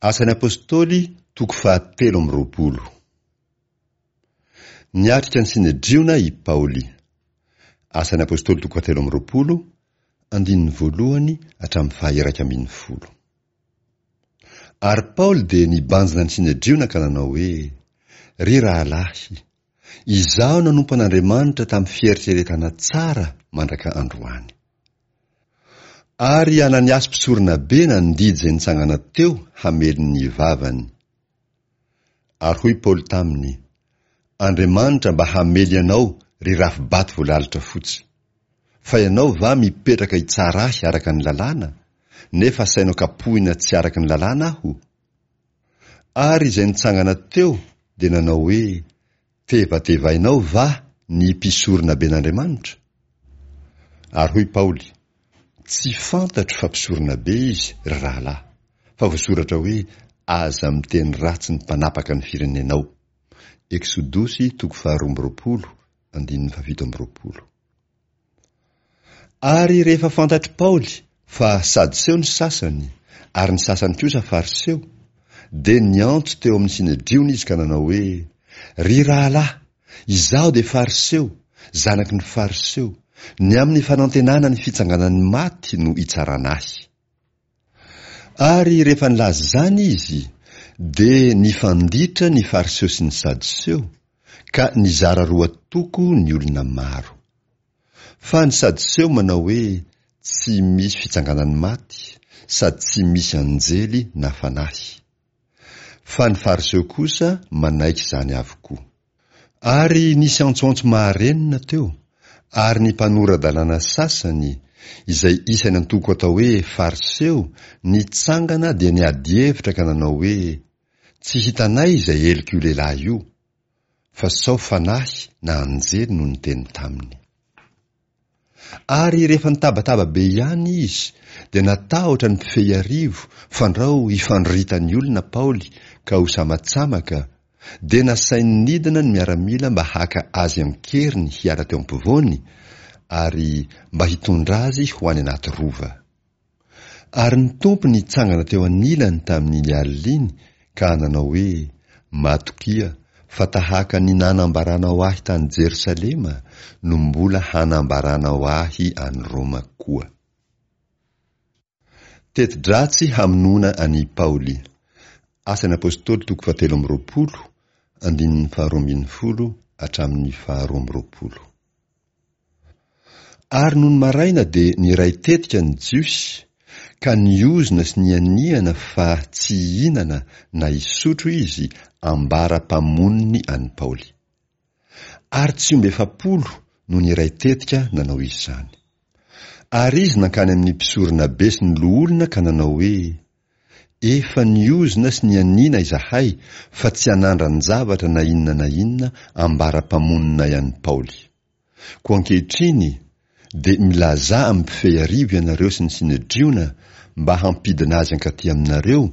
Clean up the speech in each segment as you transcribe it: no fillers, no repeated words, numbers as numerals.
Asan'ny Apostoly toko fahatelo amby 20. Niatrika ny Synedriona i Paoly. Asan'ny Apostoly toko fahatelo amby 20, andininy voalohany hatramin'ny faha-11. Ary Paoly dia nibanjina ny Synedriona ka nanao hoe, Ry rahalahy, izaho nanompo an'Andriamanitra tamin'ny fieritreretana tsara mandraka androany. Ary Ananiasy mpisoronabe nandidy izay nitsangana teo hamely ny vavany. Ary hoy Paoly taminy, Andriamanitra mba hamely anao, ry rafi-bato voalalotra fotsy. Fa ianao va mipetraka hitsara ahy araka ny lalàna, nefa asainao kapohina tsy araka ny lalàna aho? Ary izay nitsangana teo dia nanao hoe, Tevatevainao va ny mpisoronaben'Andriamanitra? Ary hoy Paoly, Tsy fantatro fa mpisoronabe izy, ry rahalahy, fa voasoratra hoe, Aza miteny ratsy ny mpanapaka ny firenenao. Eksodosy toko faharoa amby 20, andininy fahafito amby 20. Ary rehefa fantatr'i Paoly fa Sadoseo ny sasany, ary ny sasany kosa Fariseo, dia niantso teo amin'ny Synedriona izy ka nanao hoe, Ry rahalahy, izaho dia Fariseo, zanaky ny Fariseo, ny amin'ny fanantenana ny fitsanganan'ny maty no itsarana ahy. Ary rehefa nilaza izany izy, dia nifanditra ny Fariseo sy ny Sadoseo, ka nizara roa toko ny olona maro. Fa ny Sadoseo manao hoe tsy misy fitsanganan'ny maty, sady tsy misy anjely na fanahy. Fa ny Fariseo kosa manaiky izany avokoa. Ary nisy antsoantso maharenina teo, ary ny mpanora-dalàna sasany, izay isan'ny antoko atao hoe Fariseo, nitsangana dia niady hevitra ka nanao hoe, Tsy hitanay izay helok'io lehilahy io, fa sao fanahy na anjely no niteny taminy. Ary rehefa nitabataba be ihany izy, dia natahotra ny mpifehy arivo fandrao hifandroritan'ny olona Paoly ka ho samatsamaka, dia nasainy nidina ny miaramila mba haka azy an-keriny hiala teo ampovoany, ary mba hitondra azy ho any anaty rova. Ary ny Tompo nitsangana teo anilany tamin'iny alina iny ka nanao hoe, Matokia fa tahaka ny nanambaranao ahy tany Jerosalema no mbola hanambaranao ahy any Roma koa. Teti-dratsy hamonoana an'i Paoly. Asan'ny Apostoly toko fahatelo amby 20, andininy faharoa ambin'ny folo hatramin'ny faharoa amby 20. Ary nony maraina dia niray tetika ny Jiosy, ka niozona sy nianiana fa tsy hihinana na hisotro izy ambara-pamonony an'i Paoly. Ary tsy omby 40 no niray tetika nanao izany. Ary izy nankany amin'ny mpisoronabe sy ny loholona ka nanao hoe, Efa niozona sy nianiana izahay fa tsy hanandran-javatra na inona na inona ambara-pamononay an'i Paoly. Koa ankehitriny dia milazà amin'ny mpifehy arivo ianareo sy ny Synedriona mba hampidina azy hankaty aminareo,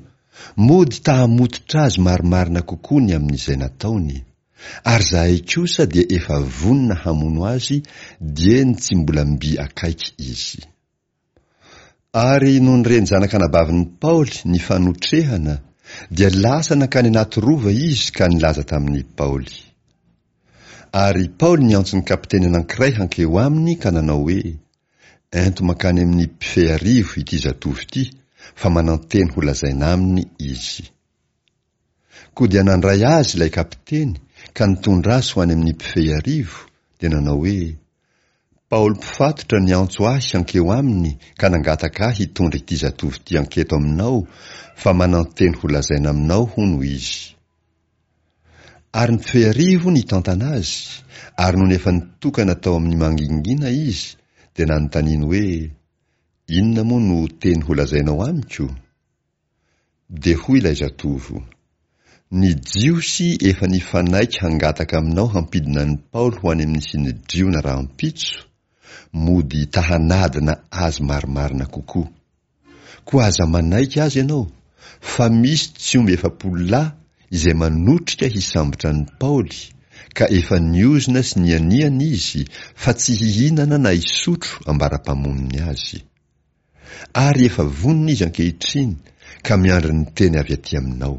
mody ta-hamototra azy marimarina kokoa ny amin'izay nataony. Ary izahay kosa dia efa vonona hamono azy dieny tsy mbola mby akaiky izy. Ary nony ren'ny zanak'anabavin'i Paoly ny fanotrehana, dia lasa nankany anaty rova izy ka nilaza tamin'i Paoly. Ary Paoly niantso ny kapiteny anankiray hankeo aminy ka nanao hoe, Ento mankany amin'ny mpifehy arivo ity zatovo ity, fa manan-teny holazaina aminy izy. Koa dia nandray azy ilay kapiteny ka nitondra azy ho any amin'ny mpifehy arivo, dia nanao hoe, Paoly mpifatotra niantso ahy hankeo aminy ka nangataka ahy hitondra ity zatovo ity hanketo aminao, fa manan-teny holazaina aminao, hono, izy. Ary ny mpifehy arivo nitantana azy, ary nony efa nitokana tao amin'ny mangingina izy, dia nanontaniany hoe, Inona moa no teny holazainao amiko? Dia hoy ilay zatovo, Ny Jiosy efa nifanaiky hangataka aminao hampidina an'i Paoly ho any amin'ny Synedriona rahampitso, mody ta-hanadina azy marimarina kokoa. Koa aza manaiky azy ianao, fa misy tsy omby 40 lahy izay manotrika hisambotra an'i Paoly, ka efa niozona sy nianiana izy fa tsy hihinana na hisotro ambara-pamonony azy. Ary efa vonona izy ankehitriny, ka miandry ny teny avy aty aminao.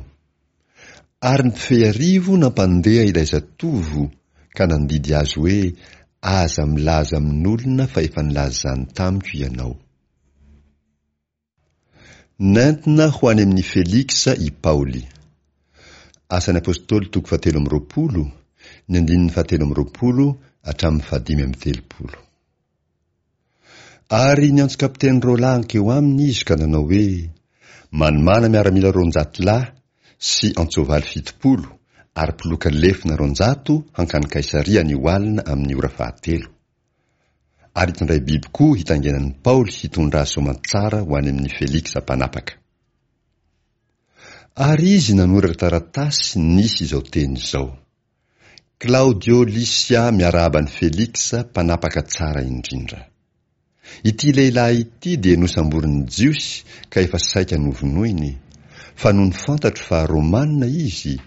Ary ny mpifehy arivo nampandeha ilay zatovo ka nandidy azy hoe, Aza milaza amin'olona fa efa nilaza izany tamiko ianao. Nentina ho any amin'i Feliksa i Paoly. Asan'ny Apostoly toko fahatelo amby roapolo, ny andininy fahatelo amby roapolo hatramin'ny fahadimy amby telopolo. Ary niantso kapiteny roalahy hankeo aminy izy ka nanao hoe, Manomàna miaramila 200 lahy sy antsoavaly 70 ary mpiloka lefona 200 hankany Kaisaria anio alina amin'ny ora fahatelo. Ary hitondray biby koa hitaingenan'i Paoly hitondra azy soamantsara ho any amin'i Feliksa mpanapaka. Ary izy nanoratra taratasy nisy izao teny izao, Klaodio Lysia miarahaba an'i Feliksa mpanapaka tsara indrindra. Ity lehilahy ity dia nosamborin'ny Jiosy ka efa saika novonoiny, fa nony fantatro fa Romana izy,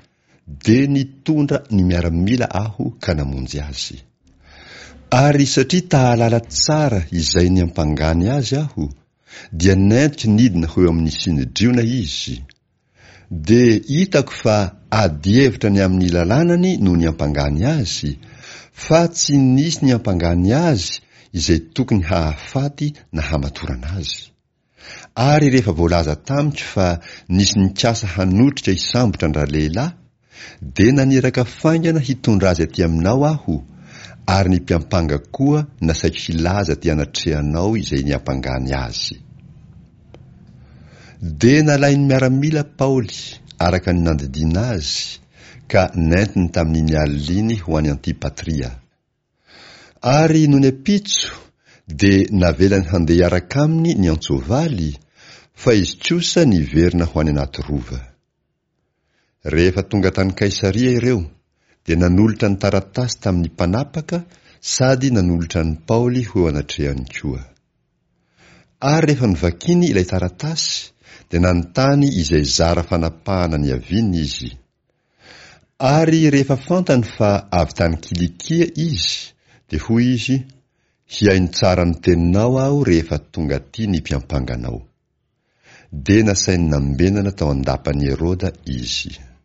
dia nitondra ny miaramila aho ka namonjy azy. Ary satria ta-hahalala tsara izay niampangany azy aho, dia nentiko nidina ho eo amin'ny Synedriona izy. Dia hitako fa adihevitra ny amin'ny lalànany no niampangany azy, fa tsy nisy niampangany azy izay tokony hahafaty na hamatorana azy. Ary rehefa voalaza tamiko fa nisy nikasa hanotrika hisambotra an-dralehilahy, Dia naniraka faingana hitondra azy aty aminao aho, ary ny mpiampanga koa nasaiko hilaza aty anatrehanao izay niampangany azy. Dia nalain'ny miaramila Paoly, araka ny nandidiana azy, ka nentiny tamin'iny alina iny ho any Antipatria. Ary nony ampitso, dia navelany handeha hiaraka aminy ny antsoavaly, fa izy kosa niverina ho any anaty rova. Rehefa tonga tany Kaisaria ireo, dia nanolotra ny taratasy tamin'ny mpanapaka sady nanolotra an'i Paoly ho eo anatrehany koa. Ary rehefa novakiny ilay taratasy, dia nanontany izay zara fanapahana niaviany izy. Ary rehefa fantany fa avy tany Kilikia izy, dia hoy izy, Hihaino tsara ny teninao aho rehefa tonga aty ny mpiampanga anao. Dia nasainy nambenana tao an-dapan'i Heroda izy.